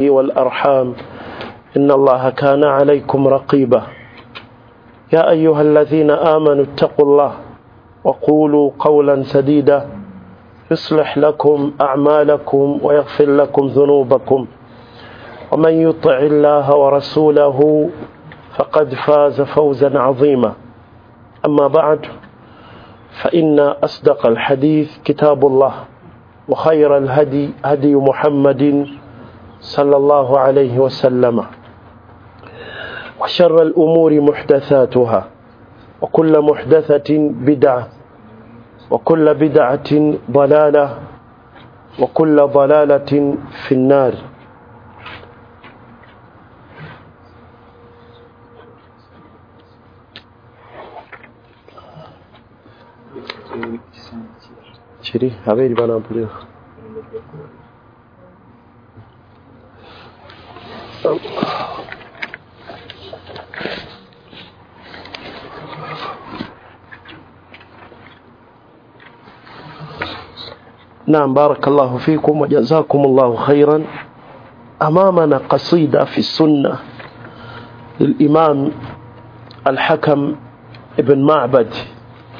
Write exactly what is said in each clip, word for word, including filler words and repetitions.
والأرحام إن الله كان عليكم رقيبا. يا أيها الذين آمنوا اتقوا الله وقولوا قولا سديدا يصلح لكم أعمالكم ويغفر لكم ذنوبكم، ومن يطع الله ورسوله فقد فاز فوزا عظيما. أما بعد، فإن أصدق الحديث كتاب الله، وخير الهدي هدي محمد صلى الله عليه وسلم، وشر الأمور محدثاتها، وكل محدثة بدعة، وكل بدعة ضلالة، وكل ضلالة في النار. Kiri abeeri banampulira. نعم، بارك الله فيكم وجزاكم الله خيرا. أمامنا قصيدة في السنة للإمام الحكم ابن معبد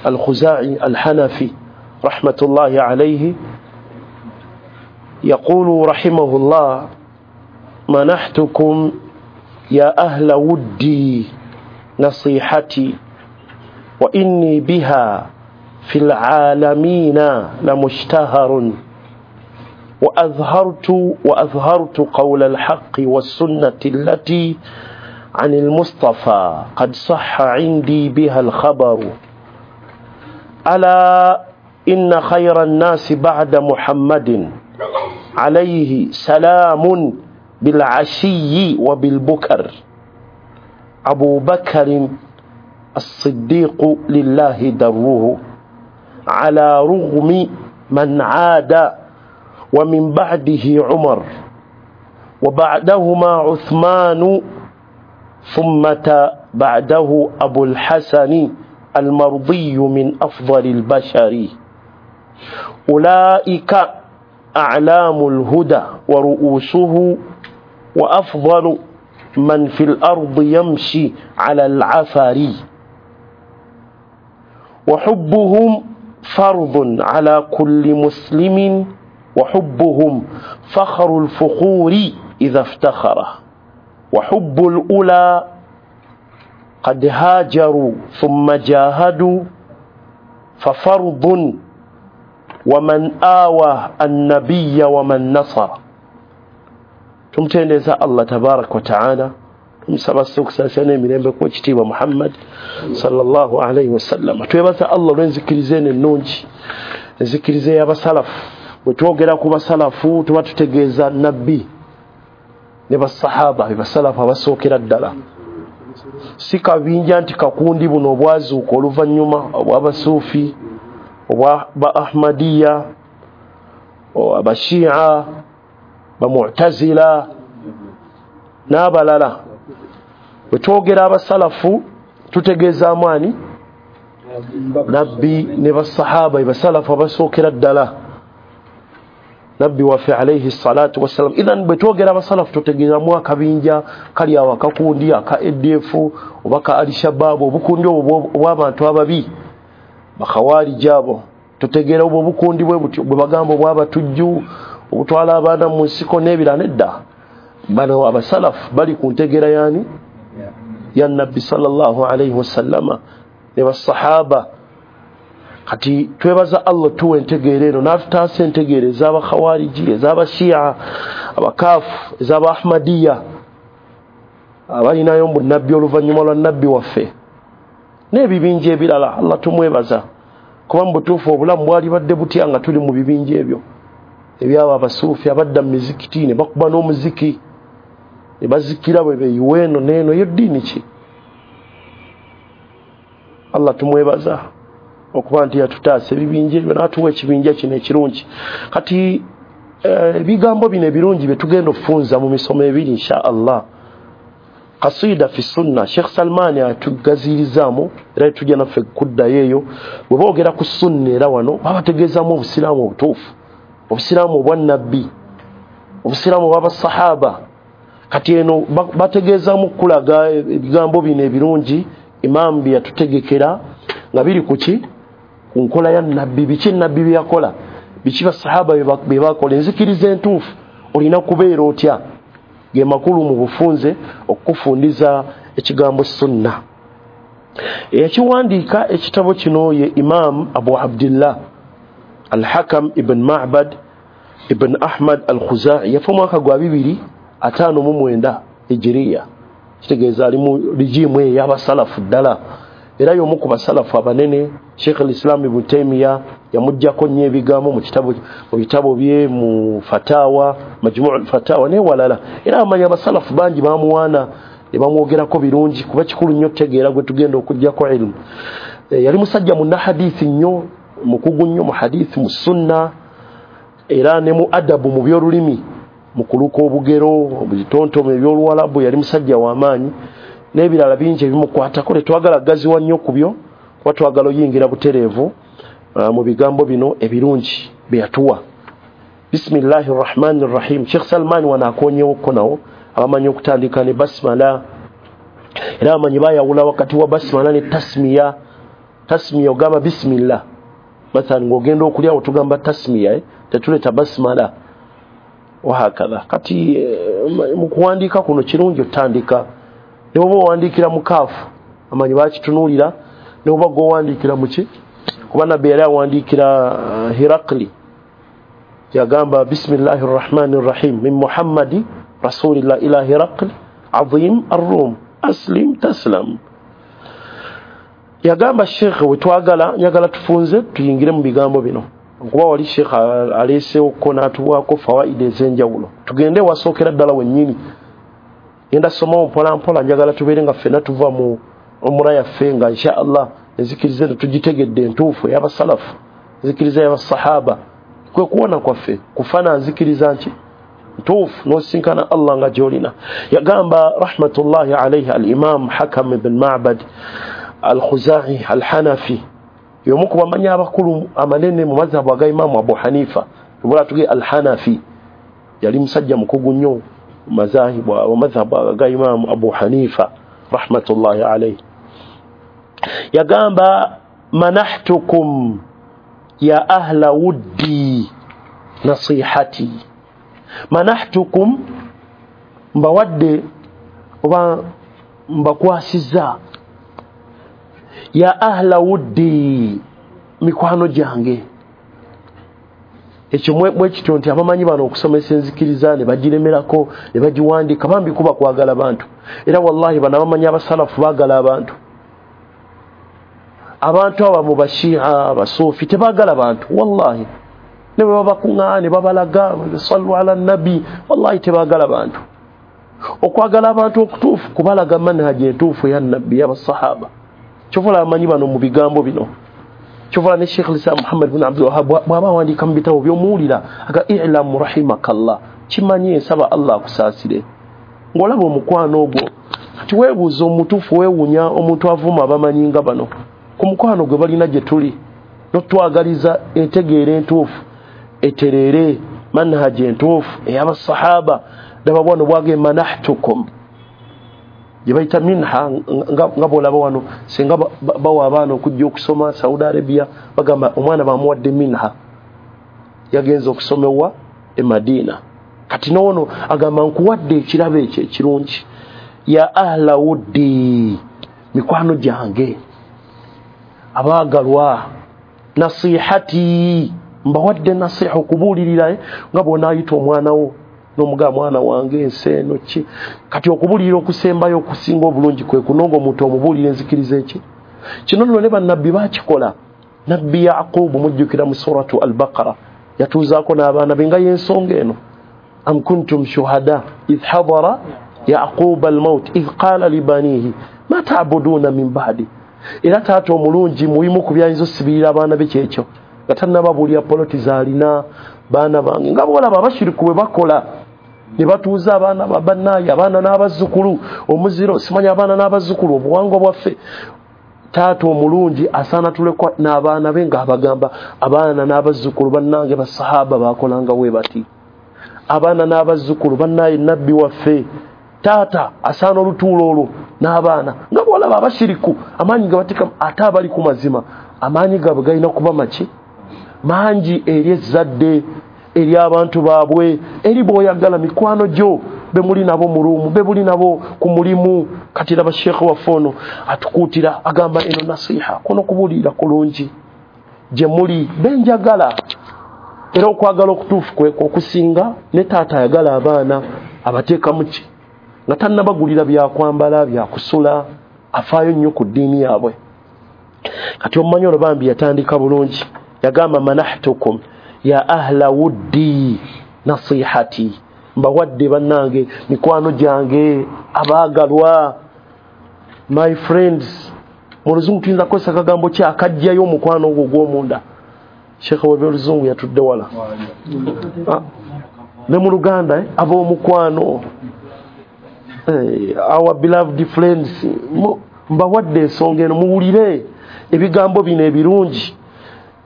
الخزاعي الحنفي رحمة الله عليه، يقول رحمه الله: منحتكم يا أهل ودي نصيحتي، وإني بها في العالمين لمشتهر، وأظهرت وأظهرت قول الحق والسنة التي عن المصطفى قد صح عندي بها الخبر. ألا إن خير الناس بعد محمد عليه سلام بالعشي وبالبكر، أبو بكر الصديق لله دره، على رغم من عاد، ومن بعده عمر، وبعدهما عثمان، ثم بعده أبو الحسن المرضي من أفضل البشر. أولئك أعلام الهدى ورؤوسه، وأفضل من في الأرض يمشي على العفر. وحبهم فرض على كل مسلم، وحبهم فخر الفخور إذا افتخر. وحب الأولى قد هاجروا ثم جاهدوا ففرض، ومن آوى النبي ومن نصر. Tumtendeeza Allah tabaraka wa taala, tumusaba okusaasira n'emirembe ku ekitiibwa Muhammad sallallahu alayhi wasallam. Twebaza Allah olw'enzikiriza eno ennungi, enzikiriza ey'abasalafu. Bwe twogera ku basalafu tuba tutegeeza nabbi ne basahaba, be basalafu abasookera ddala. Si kabinja nti kakundi buno obwazuuka oluvannyuma, obw'abasuufi, obwa ba Ahmadiyya, abashia, bamu'tazila n'abalala. Bwe twogera abasalafu tutegeezaamu ani? Nabbi ne basahaba, basalafu abasookera ddala, nabbi waffe alayhi salatu wassalam. Idhan bwe twogera abasalafu tutegeezaamu akabinja kali awo akakundi aka A D F oba ka Al-Shabaab, obukundi obwo obw'abantu ababi bakhawarij abo. Tutegeera obwo obukundi bwe butyo bwe bagamba obw'abatujju, obutwala abaana mu nsiko n'ebirala. Nedda, bano abasalafu bali ku ntegeera yaani ya nabbi sallallahu alayhi wasallama ne basahaba. Kati twebaza Allah tuwe entegeera eno n'atutaasa entegeera ez'abakhawariji, ez'abashia, abakafu, ez'abahmadiya abalinayo mbu nabbi oluvannyuma lwa nabbi waffe n'ebibinja ebirala. Allah tumwebaza kuba mu butuufu obulamu bwalibadde butya nga tuli mu bibinja ebyo ebyabo abasuufi abadda mu mizikiti ne bakuba n'omuziki ne bazikira bwe beeyiwa eno n'eno. Eyo ddiini ki? Allah tumwebaza okuba nti yatutaasa ebibinja ebyo n'atuwa ekibinja kino ekirungi. Kati ebigambo bino ebirungi bye tugenda okufunza mu misomo ebiri insha Allah. Qasida fi sunna, Sheikh Salmani atugazirizaamu era tujja naffe kuddayo eyo. Bwe boogera ku sunna era wano babategeezaamu obusiraamu obutuufu, obusiraamu obwa nabbi, obusiraamu obw'abasahaba. Kati eno bategeezaamu kulaga ebigambo bino ebirungi imaamu bye yatutegekera nga biri ku ki? Ku nkola ya nabbi. Biki nabbi bye yakola, biki basahaba bye bakola, enzikiriza entuufu olina kubeera otya. Ge makulu mu bufunze okufundiza ekigambo sunna. Ekiwandiika ekitabo kino ye Imam Abu Abdillah Al-Hakam ibn Ma'bad ibn Ahmad Al-Khuzai, yafa mwaka gwa bibiri ataano mu mwenda hijiriya. Kitegeeza ali mu rijimu ey'abasalafu ddala, era y'omu ku basalafu abanene. Sheikh al-Islam Ibn Taymiyyah yamuggyako nnyo ebigambo mu kitabo, mu bitabo bye, mu fatawa, Majmu' al-Fatawa n'ewalala. Era abamanyi abasalafu bangi bamuwaana ne bamwogerako birungi, kuba kikulu nnyo okutegeera gwe tugenda okuggyako ilmu. E, yali musajja munnahadithi nnyo, mukugu nnyo mu hadithi, mu sunna, era ne mu adabu, mu by'olulimi, mu kuluka obugero, mu bitontome eby'oluwalabu. Yali musajja w'amaanyi n'ebirala bingi ebimukwatako. Tetwagala gaziwa nnyo ku byo, kuba twagala oyingira butereevu uh, mu bigambo bino ebirungi bye yatuwa. Bismillahi rrahmani rrahim. Sheikh Salman wano akoonyewokko nawo abamanyi okutandika ne basmala, era abamanyi bayawula wakati wa basmala ne tasmiya. Tasmiya ogamba bismillah, mathalan ng'ogenda okulya otugamba tasmiya, eh? Tetuleeta basmala wahakadha. Kati eh, mu kuwandiika kuno kirungi otandika ne bw'oba owandiikira mu kaafu, amanyi bakitunuulira, ne bw'oba gw'owandiikira mu ki, kuba nabbi yali awandiikira uh, Hirakli, yagamba bismillahi rrahmani rrahim min Muhammadi rasulillah ila Hirakli azim arrum aslim taslam. Yagamba sheikh wetwagala, njagala tufunze tuyingire mu bigambo bino, kuba wali sheikh aleesewo n'atuwaako fawaida ez'enjawulo. Tugende wasookera ddala wennyini, ngenda somawo mpola mpola, njagala tubeere nga ffenna tuva mu umura yaffe nga insha Allah enzikiriza eno tugitegedde entuufu ey'abasalafu, enzikiriza y'abasahaba. Kwe kuwona kwaffe kufana nzikiriza nki ntuufu n'osinkana Allah nga gy'olina. Yagamba rahmatullahi alayhi al-Imam Hakam ibn Ma'bad Al-Khuzai Al-Hanafi, y'omu ku bamanyi abakulu amanene mu mazhabu aga Imamu Abu Hanifa. Tubula tuge Al-Hanafi yali musajja mukugu nnyo mu mazahibu mu mazhabu aga Imamu Abu Hanifa rahmatullahi alayhi. Yagamba manahtukum ya ahla wuddi nasihati. Manahtukum, mbawadde oba mbakwasizza, ya ahla wuddi, mikwano gyange. Ekyo mwekityo nti abamanyi bano okusomesa enzikiriza ne bagiremerako ne bagiwandiika, bambi kuba kwagala bantu. Era wallahi bano abamanyi abasalafu baagala abantu. Abantu aba mu bashia, abasuufi tebaagala bantu wallahi, ne bwe babakuŋŋaana ne babalaga sallu ala nabi, wallahi tebaagala bantu. Okwagala abantu okutuufu kubalaga manhaji entuufu eya nabbi y'abasahaba. Kyova abamanyi bano mu bigambo bino, kyova ne Sheikh Islam Muhammad bin Abdul Wahhab bw'aba awandiika mu bitabo by'omuwulira aga i'lamu rahimakallah, kimanye nsaba Allah akusaasire. Ng'olaba omukwano ogwo, kati weebuuza omutuufu, weewuunya omuntu avuma abamanyi nga bano ku mukwano gwe balina gye tuli, n'otwagaliza entegeera entuufu etereere, manhaji entuufu ey'abasahaba. Daba bwano bwage manahtukum gye bayita minha, nga bw'olaba wano singa bawa abaana okujja okusoma Saudi Arabia, bagamba omwana bamuwadde minha, yagenze okusomewa e Madina. Kati n'ono agamba nkuwadde ekirabo ekyo ekirungi, ya ahla wuddi, mikwano gyange abaagalwa, nasihati, mbawadde nasiha, okubuulirira nga bw'onaayita omwana wo n'omugamba mwana wange ensi eno ki. Kati okubuulirira okusembayo okusinga obulungi kwe kunonga omuntu omubuulira enzikiriza eki. Kino nno ne bannabbi baakikola. Nabbi Yaqubu mujjukira mu suratu Al-Baqara yatuuzaako n'abaana be nga y'ensonga eno, am kuntum shuhada idh hadara yaquba al-maut idh qala libanihi ma ta'buduna min ba'di. Era taata omulungi muyimu ku byayinza osibirira abaana be kyekyo, nga tannababuulira poloti z'alina, baana bange nga bw'olaba abashiriku bwe bakola ne batuuza abaana bannaaye, abaana n'abazzukulu, omuziro simanya abaana n'abazzukulu, obuwangwa bwaffe. Taata omulungi asaana tulekwa n'abaana be ng'abagamba abaana n'abazzukulu bannange basahaba baakolanga bwe bati, abaana n'abazzukulu bannaaye nabbi waffe Taata asaana olutuulo olwo n'abaana nga bwolaba abashiriku amaanyi gabateeka, ate abali ku mazima amaanyi gaabwe galina kuba maki mangi eri ezzadde, eri abantu baabwe, eri bw'oyagala mikwano gyo be muli nabo mu ruumu, be muli nabo ku mulimu. Kati raba sheekhe waffe ono atukuutira, agamba eno nasiha, kuno kubuulirira kulungi gye muli benjagala. Era okwagala okutuufu kwekwo okusinga ne taata ayagala abaana abateekamu ki nga tannabagulira byakwambala, byakusula, afaayo nnyo ku ddiini yaabwe. Kati omumanyi olwo bambi yatandika bulungi, yagamba manahtukum ya ahla wuddi nasihati, mbawadde bannange mikwano gyange abaagalwa, my friends. Mu luzungu tuyinza kukozesa akagambo ki akajjayo omukwano ogwo ogw'omunda? Sheekhe w'ebyoluzungu yatudde wala ne mu Luganda eh? Ab'omukwano, eh, our beloved friends, mbawadde ensonga eno, muwulire ebigambo bino ebirungi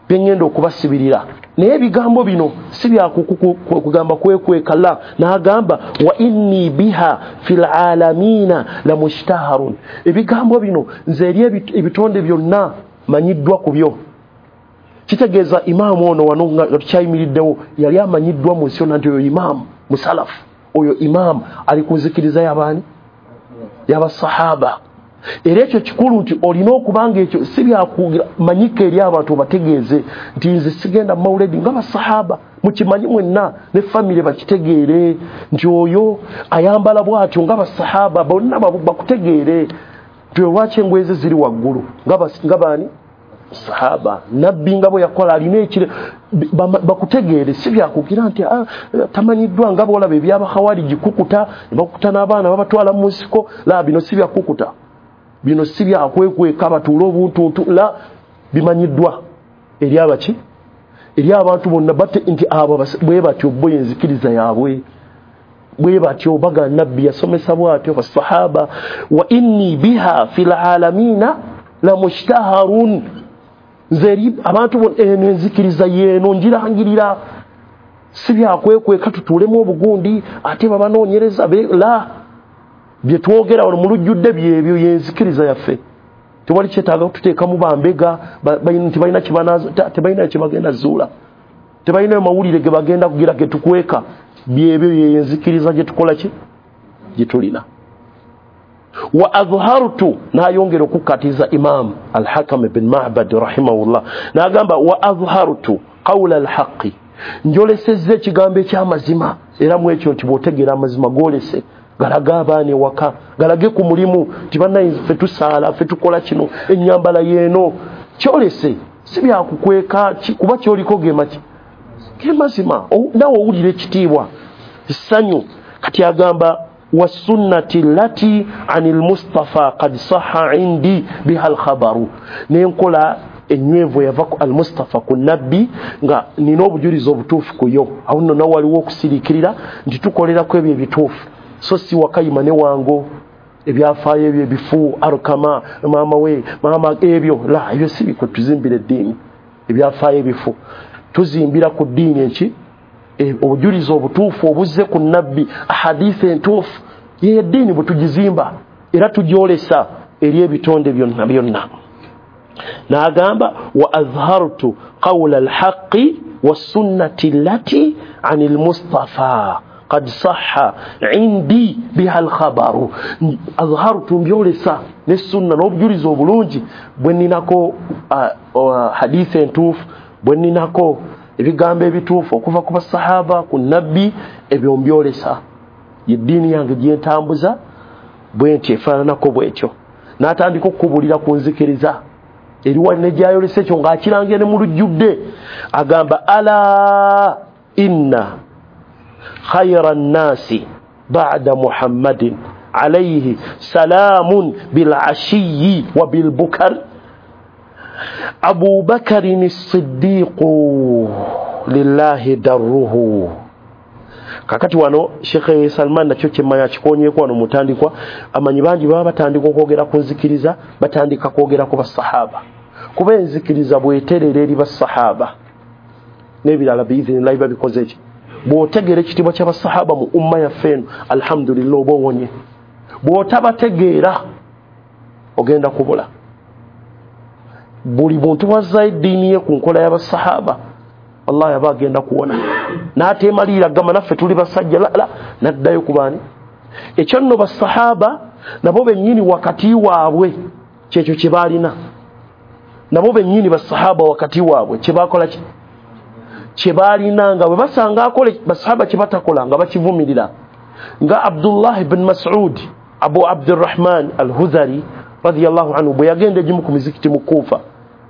bye ngenda okubasibirira. Naye ebigambo bino si byakugamba kwekweka, la. N'agamba wa inni biha fil alamina la mushtaharun, ebigambo bino nze eri ebitonde byonna manyiddwa ku byo. Kitegeeza imaamu ono wano nga tukyayimiriddewo yali amanyiddwa mu nsi yonna nti oyo imaamu musalafu, oyo imaamu ali ku nzikiriza y'abaani, y'abasahaba. Era ekyo kikulu nti olina okubanga ekyo si byakumanyika eri abantu, obategeeze nti nze sigenda mawuledi nga basahaba, mukimanyi mwenna ne famire bakitegeere nti oyo ayambala bw'atyo nga basahaba, bonna bakutegeere nti lwaki engoye ze ziri waggulu nga baani sahaba, nabbi nga bwe yakola alina ekire, bakutegeere. Si byakugira nti tamanyiddwa nga bw'olaba ebyabakhawariji kukuta, ne bakukuta n'abaana babatwala mu nsiko. La, bino si byakukuta, bino si byakwekweka batuule obuntuntu, la, bimanyiddwa eri abaki, eri abantu bonna bate nti abo bwe batyo bo enzikiriza yaabwe bwe batyo baga nabbi yasomesa bw'atyo basahaba. Wa inni biha fil alamina la mushtaharun, nze eri abantu bonna eno enzikiriza yeeno njirangirira, si byakwekweka tutuulemu obugundi ate babanoonyereza, la, bye twogera wano mu lujjudde byebyo yenzikiriza yaffe. Tewali kyetaaga kututeekamu bambega nti balina tebalina kye bagenda zuula, tebalina mawulire ge bagenda kugira ge tukweka, byebyo yenzikiriza gye tukola ki gye tulina. Wa adhartu, n'ayongera okukkatiza Imam Al-Hakam ibn Ma'bad rahimahullah, n'agamba wa adhartu qawla al-haqqi, njolesezza ekigambo eky'amazima. Era mu ekyo nti bw'otegeera amazima goolese, galaga abaana ewaka, galage ku mulimu nti bannaye ffe tusaala, ffe tukola kino, ennyambala yeeno, kyolese, si byakukweka kuba kyoliko gemaki ge mazima, nawe owulira ekitiibwa essanyu. Kati agamba wasunnati lati anil mustafa qad sahha indi biha alkhabaru, n'enkola ennywevu yava ku al-Mustafa ku nabbi nga nina obujulizi obutuufu ku yo. Awo nno nawe waliwo okusiriikirira nti tukolerako ebyo ebituufu, so si wakayima ne wango ebyafaayo ebyo ebifu, arukama maama we maama ebyo, la, ebyo si bikwe tuzimbira eddiini. Ebyafaayo ebifu tuzimbira ku ddiini eki obujulizi obutuufu obuzze ku nabbi, ahadisi entuufu ye eddiini bwe tugizimba era tugyolesa eri ebitonde byonna byonna. N'agamba wa azhartu qawla alhaqi wassunnati allati anil mustafa qad sahha indi biha alkhabaru, azhartu mbyolesa ne sunna n'obujulizi obulungi bwe nninako hadithi entuufu, bwe nninako ebigambo ebituufu okuva ku basahaba ku nabbi, ebyo mbyolesa, yeddiini yange gye ntambuza bwe nti efaananako bwetyo. N'atandika okukubulira ku nzikiriza eriwa ne gyayolesa ekyo ng'akirangira ne mu lujjudde, agamba ala inna khayra nnaasi ba'da Muhammadin alayhi salamun bil ashiyi wa bil bukar Abu Bakarin as-Siddiqu lillahi darruhu. Kakati wano Sheikh Salman nakyo kyemmanya kikonyeeko wano mutandikwa, amanyi bangi baba batandika okwogera ku nzikiriza, batandika kwogera ku basahaba, kuba enzikiriza bweterera eri basahaba n'ebirala biizinillahi babikoze ki. Bw'otegeera ekitiibwa ky'abasahaba mu umma yaffe eno, alhamdulillah, oba owonye. Bw'otabategeera ogenda kubula. Buli muntu bw'azza eddiini ye ku nkola y'abasahaba, wallahi aba agenda kuwona. N'ateemalirira gamba naffe tuli basajja, la la, n'addayo ku baani. Ekyo nno basahaba nabo bennyini wakati waabwe kyekyo kye baalina. Nabo bennyini basahaba wakati waabwe kye baakola ki? Kye baalina, nga bwe basanga akole basahaba kye batakola nga bakivumirira. Nga Abdullah ibn Mas'ud Abu Abdurrahman al-Hudhari radiyallahu anhu bwe yagenda egimu ku mizikiti mu Kufa,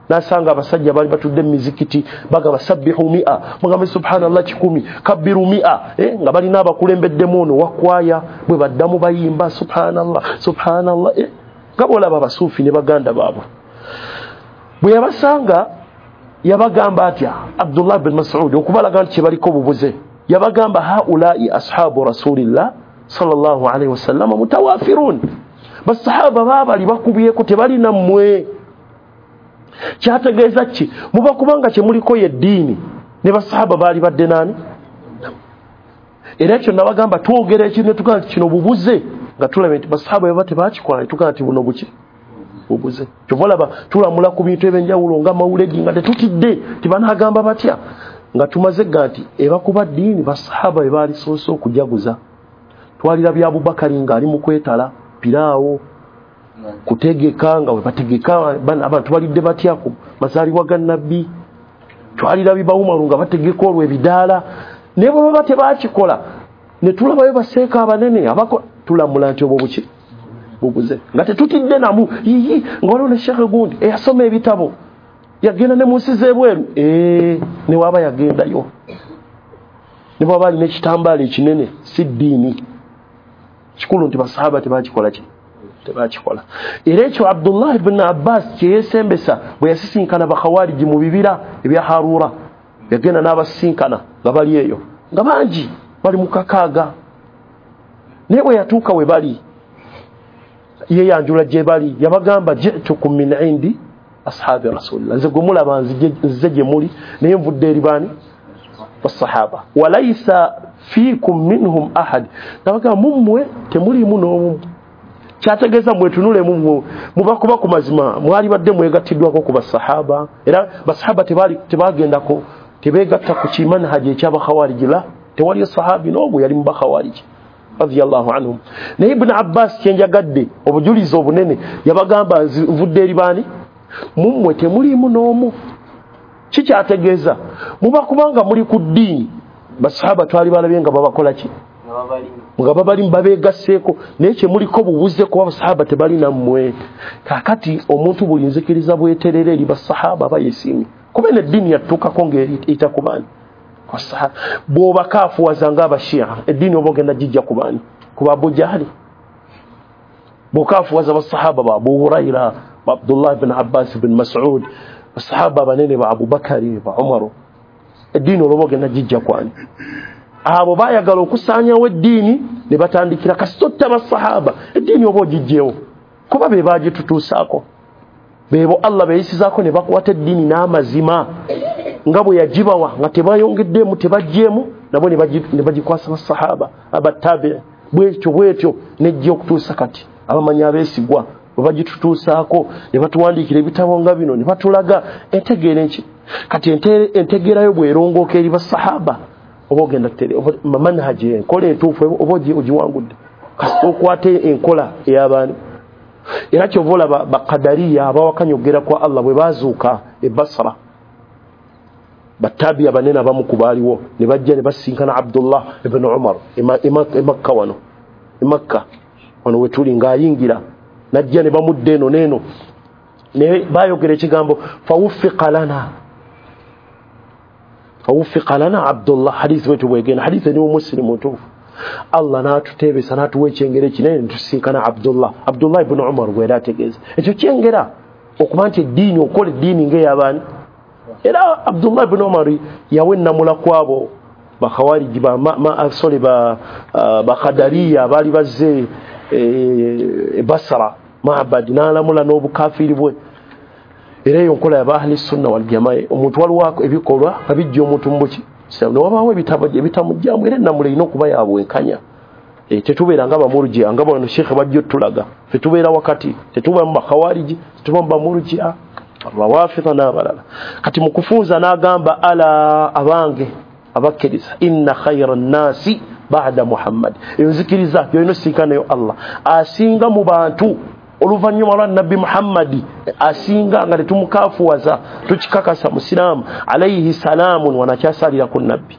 n'asanga abasajja bali batudde mu mizikiti bagamba sabbihu mi'a, mugambe subhanallah kikumi, kabbiru mi'a, eh, nga balina abakulembeddemu ono wakwaya bwe baddamu bayimba subhanallah subhanallah, eh, nga bw'olaba abasuufi ne baganda baabwe. Bwe yabasanga yabagamba atya Abdullah bin Mas'ud okubalaga nti kye baliko obubuze, yabagamba haulai ashabu rasulillah sallallahu alaihi wasallam mutawafirun, basahaba baabali bakubyeko tebalina mmwe. Kyategeeza ki? Muba kubanga kye muliko ye ddiini ne basahaba baali badde naani. Era ekyo nabagamba twogera ekintu ne tugamba nti kino bubuze, nga tulaba nti basahaba bwe baba tebakikola ne tugamba nti buno buki bubuze. Kyova olaba tulamula ku bintu ebyenjawulo nga mawuledi nga tetutidde tibanaagamba batya, nga tumaze ga nti ebakuba ddiini basahaba be baalisoose okujaguza. Twalirabye Abubakari ng'ali mu kwetala piraawo kutegeka, nga bwe bategeka abantu balidde batya ku mazaalibwa ga Nabbi. Twalirabye ba Umaru nga bategeka olwo ebidaala, naye bwe baba tebakikola ne tulabayo baseeka abanene abako, tulamula nti obwo buki bubuze, nga tetutidde namu yiyi. Nga waliwo ne Sheikh gundi eyasoma ebitabo yagenda ne mu nsi z'ebweru, ee ne waaba yagendayo ne bwaba alina ekitambaala ekinene, si ddiini. Kikulu nti basahaba tebakikola ki tebakikola. Era ekyo Abdullah ibn Abbas kye yeesembesa bwe yasisinkana bakhawariji mu bibira ebya Harura, yagenda n'abasisinkana nga bali eyo nga bangi bali mu kakaaga, naye bwe yatuuka we bali yeeyanjula gye bali, yabagamba jitukum min indi ashabi rasulillah, nze gwe mulaba nzize gye muli naye nvudde eri baani basahaba, walaisa fiikum minhum ahad, nabagamba mummwe temuliimu n'omu. Kyategeeza mwetunulemu mmwe mubakuba ku mazima mwali badde mwegattiddwako ku basahaba. Era basahaba tebaali tebagendako tebeegatta ku kimanhaji eky'abakhawariji, la tewaliyo sahabi n'omu yali mu bakhawariji radiyallahu anhum. Naye Ibn Abbas kyenjagadde obujulizi obunene yabagamba nvudde eri baani, mummwe temuliimu n'omu. Kikyategeeza muba kubanga muli ku ddiini, basahaba twali balabye nga babakola ki, nga babalimu babeegasseeko, naye kye muliko bubuze kuba basahaba tebalina mmwe. Kaakati omuntu buli nzikiriza bweterera eri basahaba aba yeesiimye, kuba eno eddiini yatuukako ng'eyita ku baani basahaba. Bw'obakaafuwaza ng'abashia eddiini oba ogenda gijja ku baani, ku ba Abu Jahali. Bw'okaafuwaza basahaba ba Abu Huraira, ba Abdullah bin Abbas bin Mas'ud, basahaba abanene ba Abubakari ba Umaru, eddiini olwoba ogenda gijja kwani. Abo baayagala okusaanyawo eddiini ne batandikira kasita basahaba, eddiini oba ogijjewo kuba be baagitutuusaako, beebo Allah beeyisizaako ne bakwata eddiini n'amazima nga bwe yagibawa, nga tebayongeddemu tebaggyemu, nabo ne bagikwasa basahaba abattabi'i, bwetyo bwetyo nejja okutuusa kati abamanyi abeesigwa bwe bagitutuusaako ne batuwandiikira ebitabo nga bino ne batulaga entegeera enki. Kati entegeerayo bw'erongooka eri basahaba oba ogenda manhaji enkola entuufu oba ogiwangudde, kasita okwata enkola ey'abaani. Era kyova olaba bakadariya abawakanya okugera kwa Allah bwe baazuuka e Basra, battabi abanene abamu ku baaliwo ne bajja ne basinkana Abdullah ibn Umar e Makka wano, e Makka wano we tuli ng'ayingira, najja ne bamudda eno n'eno, ne baayogera ekigambo fawuffiqa lana, fawuffiqa lana Abdullah. Hadithi bwetu bwegenda, hadithi eri mu Muslim mutuufu. Allah n'atuteebesa n'atuwa ekyengera ekinene ne tusinkana Abdullah, Abdullah ibn Umar gwera ategeeza ekyo kyengera okuba nti eddiini okola eddiini ng'ey'abaani. Era Abdullah ibn Umar yawa ennamula kwabo bakhawariji ba sorry ba bakadariya abaali bazze e Basra Ma'bad, n'alamula n'obukafiiri bwe. Era eyo nkola ya ahli sunna wal jamaa, omuntu waliwo ebikolwa nga bijja omuntu mu buki Newabaawo ebitabo ebitamugyamu, era ennamula erina okuba ya bwenkanya. Tetubeera nga bamurujia nga bano sheikh bajja otulaga, ffe tubeera wakati, tetuba mu bakhawariji, tetuba mu bamurujia, abawafidha n'abalala. Kati mu kufunza n'agamba ala abange abakkiriza, inna khayra nnaasi ba'da Muhammad, eyo nzikiriza gyolina osinkanayo Allah asinga mu bantu oluvannyuma lwa Nabbi Muhammadi, asinga nga tetumukafuwaza, tukikakasa musiraamu, alayhi salaamun, wanakyasalira ku Nabbi,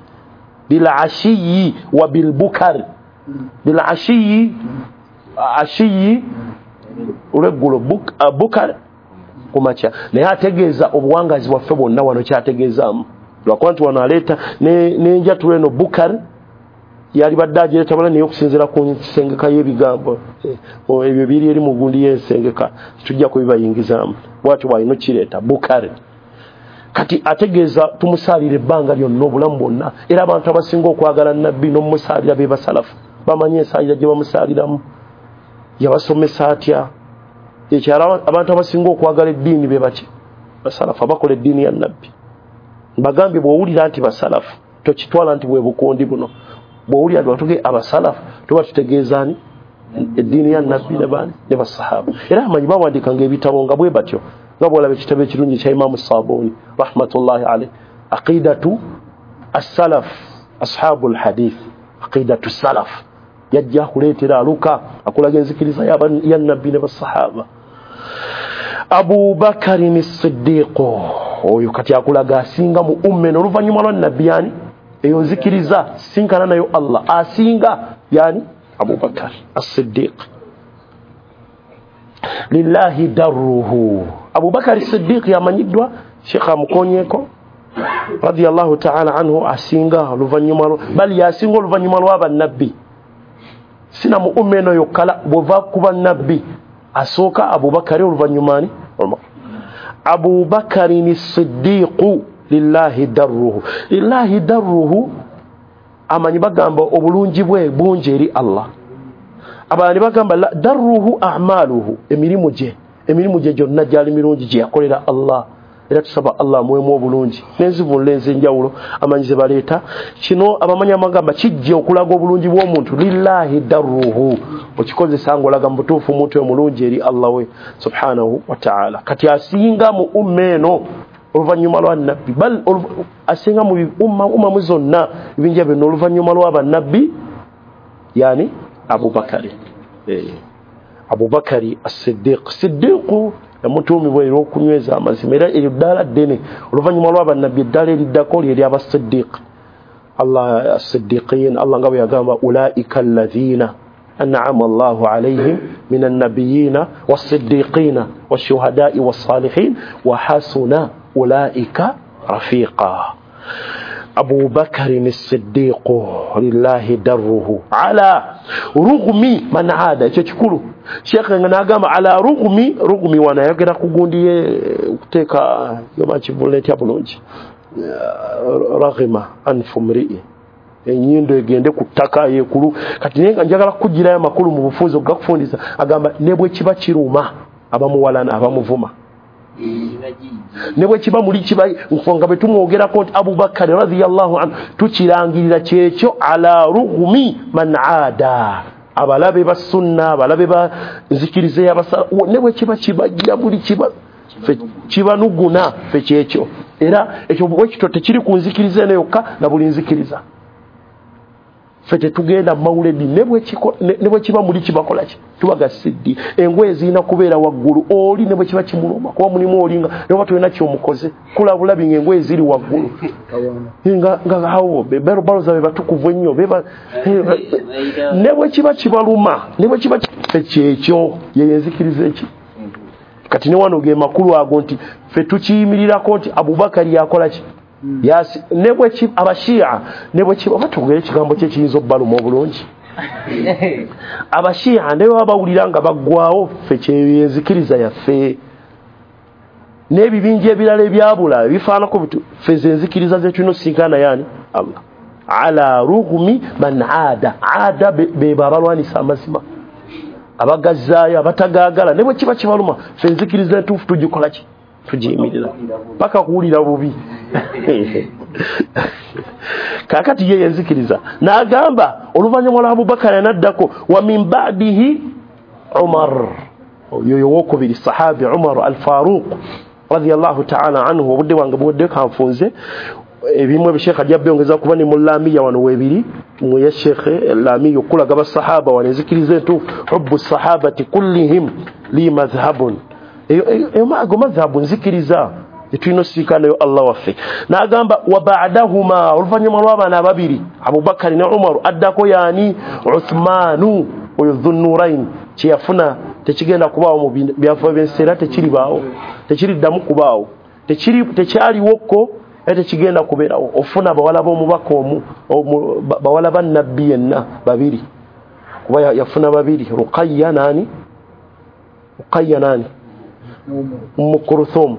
bilashiyi wa bilbukar, bilashiyi ashiyi olweggulo, bukar kumakya. Naye ategeeza obuwangazi bwaffe bwonna wano kyategeezaamu, lwakuba nti wano aleeta n'enjatula eno bukar yali badde agireeta bala, naye okusinziira ku nsengeka y'ebigambo ebyo biri eri mu gundi y'ensengeka tujja kubibayingizaamu, bwatyo bwalina okireeta bukar. Kati ategeeza tumusaalira ebbanga lyonna obulamu bwonna, era abantu abasinga okwagala Nabbi n'omumusaalira be basalafu, bamanyi ensaalira gye bamusaaliramu, yabasomesa atya. Ekyalo abantu abasinga okwagala eddiini be baki? Basalafu, abakola eddiini ya Nabbi. Mbagambye bw'owulira nti basalafu tokitwala nti bwe bukundi buno, bw'owulira nti batuge abasalafu tuba tutegeeza ani? Eddiini ya Nabbi ne baani? Ne basahaba. Era amanyi bawandiikanga ebitabo nga bwe batyo, nga bw'olaba ekitabo ekirungi kya Imaamu Saabuni rahmatullahi alayhi, aqidatu as-salaf ashabu al-hadith, aqidatu salaf, yajja kuleetera aluka akulaga enzikiriza ya Nabbi ne basahaba. Abu Bakarin as-Siddiq oyo kati akulaga asinga mu umme oluvannyuma lwa Nabbi, yani eyo nzikiriza sinkana nayo Allah asinga, yani Abu Bakar as-Siddiq. Lillahi darruhu, Abu Bakar as-Siddiq yamanyiddwa, Sheikh amukonyeko radiyallahu ta'ala anhu, asinga oluvannyuma, bali yasinga oluvannyuma lwa bannabbi, sina mu umme eno yokkala, bw'ova ku bannabbi asooka Abu Bakari, oluvannyuma ani? Umar. Abu Bakarin as-Siddiq lillahi darruhu, lillahi darruhu amanyi bagamba obulungi bwe bungi eri Allah. Abalala bagamba darruhu a'maluhu, emirimu gye, emirimu gye gyonna gyali mirungi gye yakolera Allah, era tusaba Allah amuwemu obulungi n'enzivunula ez'enjawulo amanyi ze baleeta. Kino abamanyi amagamba kijja okulaga obulungi bw'omuntu, lillahi darruhu, okikozesa ng'olaga mu butuufu omuntu oyo mulungi eri Allah we subhanahu wa ta'ala. Kati asinga mu umma eno oluvannyuma lwa Nabbi, bal asinga mu umma ummamu zonna ebinja byonna oluvannyuma lwa bannabbi, yani Abu Bakari, eh, Abu Bakari as-Siddiq. Siddiqu yamutuumibwa era okunyweza amazima, era eryo ddaala ddene oluvannyuma lwa bannabbi, eddaala eriddako lyeri abasiddiq. Allah as-siddiqin, Allah nga bwe yagamba ulaika alladhina an'ama Allahu alayhim min an-nabiyyina was-siddiqina wash-shuhada'i was-salihin wa hasuna ulaika rafiqa. Abu Bakarin as-Siddiq lillahi darruhu ala rughmi man aada, ekyo kikulu. Sheikh nga n'agamba ala rughmi, rughmi wanayogera ku gundi ye okuteeka yoba kivunula etya bulungi, raghima anfu mri'i, ennyindo egende ku ttaka yeekulu. Kati naye nga njagala kukugirayo amakulu mu bufunze ogakufundisa, agamba ne bwe kiba kiruma abamuwalana abamuvuma, ne bwe kiba muli kiba nga bwe tumwogerako nti Abu Bakari radiyallahu anhu, tukirangirira kyekyo ala rughmi man aada, abalabe ba sunna, abalabe ba nzikiriza y'abasala, ne bwe kiba kibajja buli kiba kibanuguna ffe kyekyo. Era ekyo bwe kityo tekiri ku nzikiriza eno yokka na buli nzikiriza, ffe tetugenda mawuledi ne bwe kiba muli kibakola ki, tubaga siddi engoye zirina kubeera waggulu oli ne bwe kiba kimuluma, kuba mulimu oli nga ne bwe tulina kyomukoze kulabulabi ng'engoye ziri waggulu nga nga awo balo zabe batukuvu ennyo beba, ne bwe kiba kibaluma ne bwe kiba ffe kyekyo ye enzikiriza eki. Kati ne wano ge makulu ago nti ffe tukiyimirirako nti Abubakari yakola ki, yasi ne bwe ki abashia ne bwe ki oba tugere ekigambo kye kiyinza obbaluma obulungi, abashia ne baba bawulira nga baggwawo, ffe kyenzikiriza yaffe n'ebibinja ebirala ebyabula ebifaanako bitu, ffe ze nzikiriza ze tulina osinkana yani Allah ala rughmi man aada, aada be babalwanisa amazima, abagazaayo abatagaagala, ne bwe kiba kibaluma ffe enzikiriza entuufu tugikola ki, tugiyimirira paka kuwulira bubi. Kakati ye yenzikiriza n'agamba oluvannyuma lwa Abubakari n'addako wa min ba'dihi Umar, oyo owokubiri sahabi Umar al-Faruq radiyallahu ta'ala anhu. Obudde bwange buwedde, kanfunze ebimu ebisheekh ajja byongeza kuba ni mulamiya wano webiri muye sheekh lamiya okulaga basahaba wano enzikiriza entuufu hubbu sahabati kullihim li madhhabun, eyo ago madhhabu nzikiriza etulina osiikanayo Allah waffe. N'agamba wa ba'dahuma, oluvannyuma lw'abaana ababiri Abubakari ne Umaru addako yaani Uthmanu, oyo Dhunnurain kyeyafuna tekigenda kubaawo mu byafa by'ensi era tekiribaawo, tekiriddamu kubaawo, tekyaliwoko era tekigenda kubeerawo. Ofuna bawala b'omubaka omu, bawala ba nabbi yenna babiri, kuba yafuna babiri, Ruqayya nani Ruqayya nani Ummu Kulthum,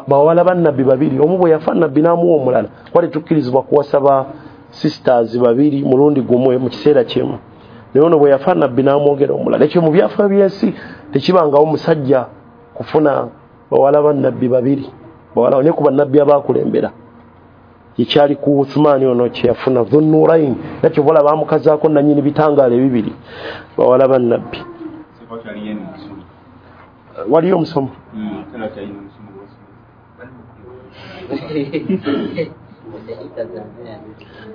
bawala ba nabbi babiri, omu bwe yafa nabbi n'amuwa omulala. Kwali tukkirizibwa kuwasa ba sisters babiri mulundi gumu mu kiseera kimu, naye ono bwe yafa nabbi n'amwongera omulala. Ekyo mu byafa by'ensi tekibangawo musajja kufuna bawala ba nabbi babiri, bawala ne ku bannabbi abakulembera. Ekyali ku Uthmani ono kyeyafuna Dhunnurain, nakyo bola bamukazaako nannyini bitangaala ebibiri, bawala ba nabbi. Waliyo omusomo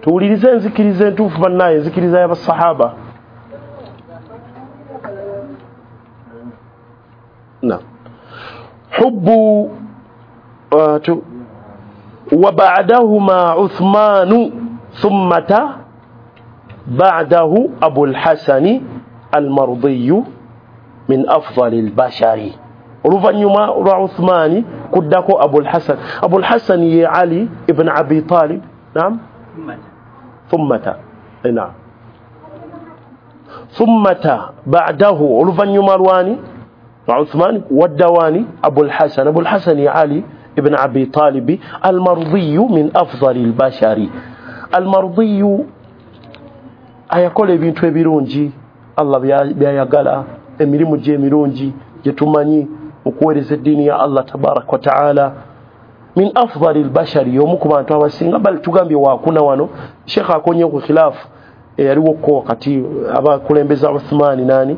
tuwulirize enzikiriza entuufu bannaye, enzikiriza y'abasahaba. Na hubbu wa ba'dahuma Uthmanu thumma ba'dahu Abu al-Hasani al-Mardiyu min afdali al-bashari. Oluvannyuma lwa Uthmani kuddako Abu al-Hasan. Abu al-Hasan ye Ali ibn Abi Talib. Naam, thumma naam thumma ba'dahu, oluvannyuma lwani Uthman waddawani Abu al-Hasan. Abu al-Hasan ye Ali ibn Abi Talib al-Mardiyu min afdali al-bashari. Al-Mardiyu ayakola ebintu ebirungi Allah byayagala, emirimu gye emirungi gye tumanyi okuweereza eddiini ya Allah tabaraka wa taala. Min afdali al-bashari, y'omu ku bantu abasinga, bali tugambye waakuna wano sheekh akonye ku khilaafu eyaliwo wakati abakulembeza Uthmani nani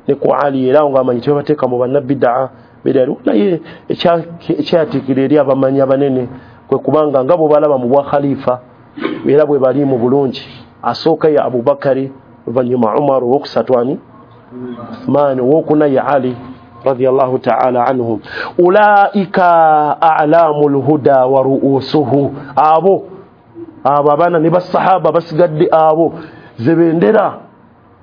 ne ku Ali, era ng'amanyi tebateeka mu bannabbidaa beeraliwo, naye ekyatiikira eri abamanyi abanene kwe kubanga nga bwe balaba mu bwa khalifa era bwe bali mu bulungi, asooka ye Abubakari, oluvannyuma Umar, owokusatu ani Uthman, owokuna ye Ali radiyallahu ta'ala anhum. Ulaika a'lamul huda wa ru'usuhu, abo abo abaana ne basahaba basigadde abo ze bendera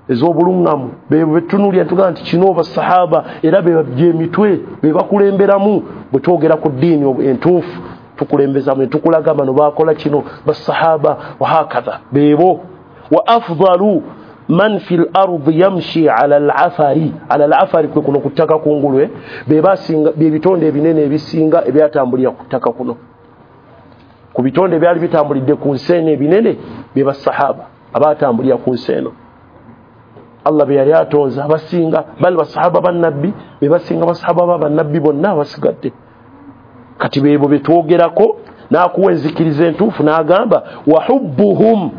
ez'obulungamu be betunuulira tugamba nti kino basahaba era be byemitwe be bakulemberamu. Bwe twogera ku ddiini entuufu tukulembezamu ne tukulaga bano baakola kino basahaba wahakadha bebo. Wa afdalu man fil ardi yamshi ala al-afari, ala al-afari kwe kuno kuttaka kungulu, be basinga bye bitonde ebinene ebisinga ebyatambulira kuttaka kuno, ku bitonde ebyali bitambulidde ku nsi eno ebinene bye basahaba abatambulira ku nsi eno. Allah bye yali atonze abasinga bali basahaba bannabbi be basinga basahaba ba bannabbi bonna abasigadde. Kati bebo betwogerako n'akuwa enzikiriza entuufu n'agamba wa hubbuhum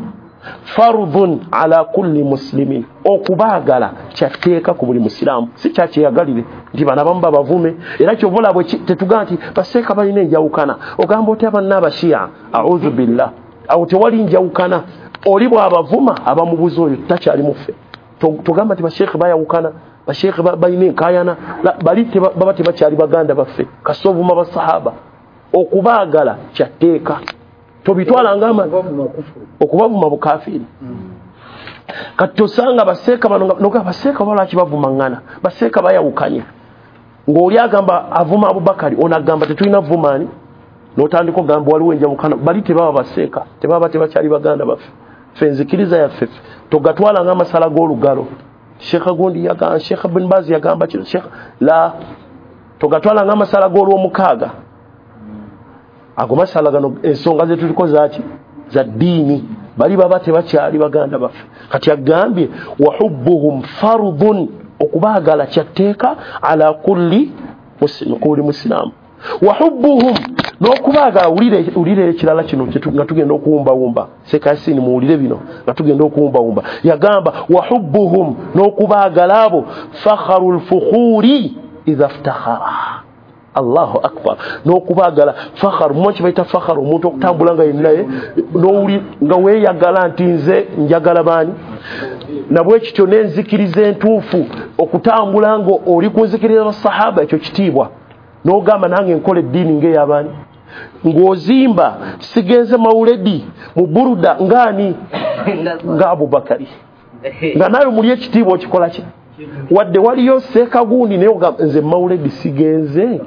fardhun ala kulli muslimin, okubaagala kyatteeka ku buli musiraamu, si kyakyeyagalire nti bano abamu babavume. Era kyovola bwe tetugamba nti baseeka balina enjawukana, ogamba otya banna abashiya, audhu billah, awo tewali njawukana. Oli bw'abavuma abamubuza oyo takyali muffe. Togamba nti basheekhe bayawukana, basheekhe balina enkaayana, bali baba tebakyali baganda baffe, kasita ovuma basahaba. Okubaagala kyatteeka, tobitwala ngama okubavuma bukafiiri. Kati tosanga baseeka bano noga baseeka balwaki bavumaŋŋana, baseeka bayawukanye, ng'oli agamba avuma Abubakari, ono agamba tetulina vumaani, n'otandika ogamba waliwo enjawukana. Bali tebaba baseeka, tebaba tebakyali baganda baffe. Ffe enzikiriza yaffe togatwala ng'amasala g'olugalo, Sheikh gundi yagamba, Sheikh bin Baz yagamba kino, Sheikh la, togatwala ng'amasala g'olwomukaaga. Ago masala gano ensonga ze tuliko zaaki za ddiini, bali baba tebakyali baganda baffe. Kati agambye wa hubbuhum fardhun, okubaagala kyatteeka ala kulli muslim, ku buli musiraamu. Wa hubbuhum N'okubaagala wulire ekirala kino nga tugenda okuwumbawumba sekasini muwulire bino nga tugenda okuwumbawumba yagamba wahubbuhum n'okubaagala abo fakharu lfukhuri idha ftakhara. Allahu akbar. N'okubaagala fakharu mwe kibayita fakharu omuntu okutambula nga yennaye n'owuli nga weeyagala nti nze njagala baani nabwe kityo n'enzikiriza entuufu okutambula nga oli ku nzikiriza basahaba ekyo kitiibwa n'ogamba nange nkola eddiini ng'eyabaani ng'ozimba sigenze mawuledi mu buruda ng'ani nga Abubakari nga nawe muli ekitiibwa okikola ki wadde waliyo seekagundi naye ogamba nze mawuledi sigenze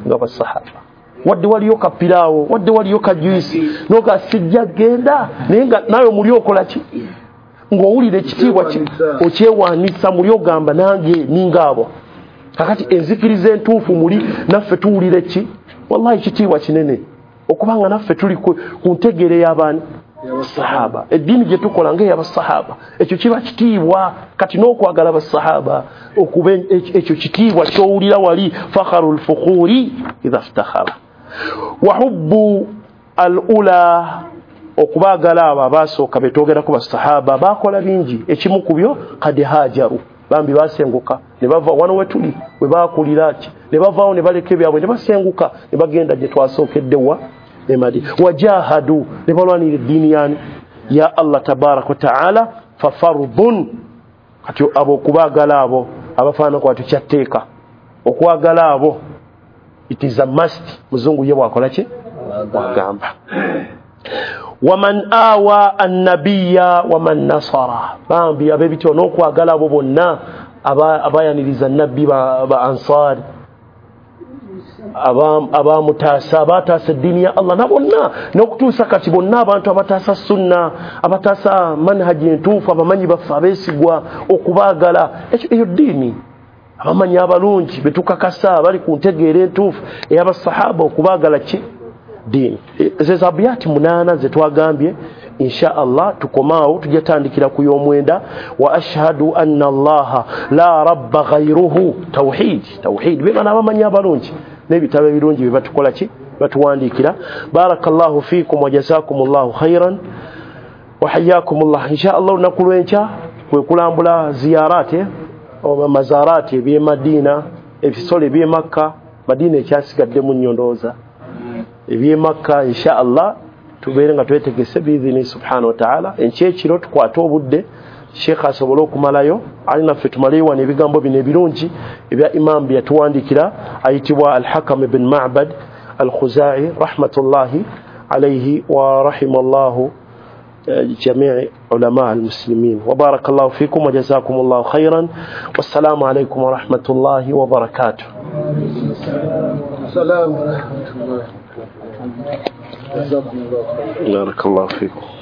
nga basahaba wadde waliyo kapiraawo wadde waliyo kajuisi n'oga sijja genda naye nga nawe muli okola ki ng'owulira ekitiibwa okyewaanisa muli ogamba nange ninga abo. Kakati enzikiriza entuufu muli naffe tuwulire ki wallahi kitiibwa kinene okubanga naffe tuli ku ntegeere y'abaani sahaba eddiini gye tukola ng'ey'abasahaba ekyo kiba kitiibwa. Kati n'okwagala basahaba okuba ekyo kitiibwa ky'owulira wali fakharu lfukhuri idha ftakhara. Wahubbu al ula okubaagala abo abaasooka be twogerako basahaba baakola bingi ekimu ku byo kad hajaru bambi basenguka ne bava wano wetuli we baakulira ki ne bavaawo ne baleka ebyabwe ne basenguka ne bagenda gye twasookedde wa e Madina wajahadu ne balwanira eddiini yani ya Allah tabaraka wa taala fafardun. Kati abo okubaagala abo abafaanana kwati kyatteeka okwagala abo it is a must muzungu ye bwakola ki bwagamba. Waman awa annabiya waman nasara bambi ab'ebityo n'okwagala abo bonna abayaniriza nabbi ba ansari abamutaasa abataasa eddiini ya Allah na bonna n'okutuusa kati bonna abantu abataasa sunna abataasa manhaji entuufu abamanyi baffe abeesigwa okubaagala ekyo eyo ddiini abamanyi abalungi betukakasa bali ku ntegeera entuufu ey'abasahaba okubaagala ki ddiini. Ze zabiyati munaana ze twagambye insha Allah tukomaawo tujja tandikira ku y'omwenda wa ashhadu anna Allaha la rabba ghayruhu tawhid tawhid be bana abamanyi abalungi n'ebitabo ebirungi bye batukola ki batuwandiikira. Barakallahu fiikum wa jazakumullahu khairan wa hayyakumullah. Insha Allah olunaku lw'enkya kwe kulambula ziyarate oba mazarati eby'e Madina ebisolo eby'e Makka. Madina ekyasigaddemu nnyo ndowooza eby'e Makka insha Allah tubeere nga twetegese biidhini subhanahu wa ta'ala. Enkya ekiro tukwate obudde Sheikh asobole okumalayo ali naffe tumaleyo wano ebigambo bino ebirungi ebya imam bye yatuwandiikira ayitibwa Al-Hakam ibn Ma'bad Al-Khuzai rahmatullahi alayhi wa rahimallahu جميع علماء المسلمين. وبارك الله فيكم وجزاكم الله خيرا والسلام عليكم ورحمة الله وبركاته. السلام ورحمة الله. بارك الله فيكم.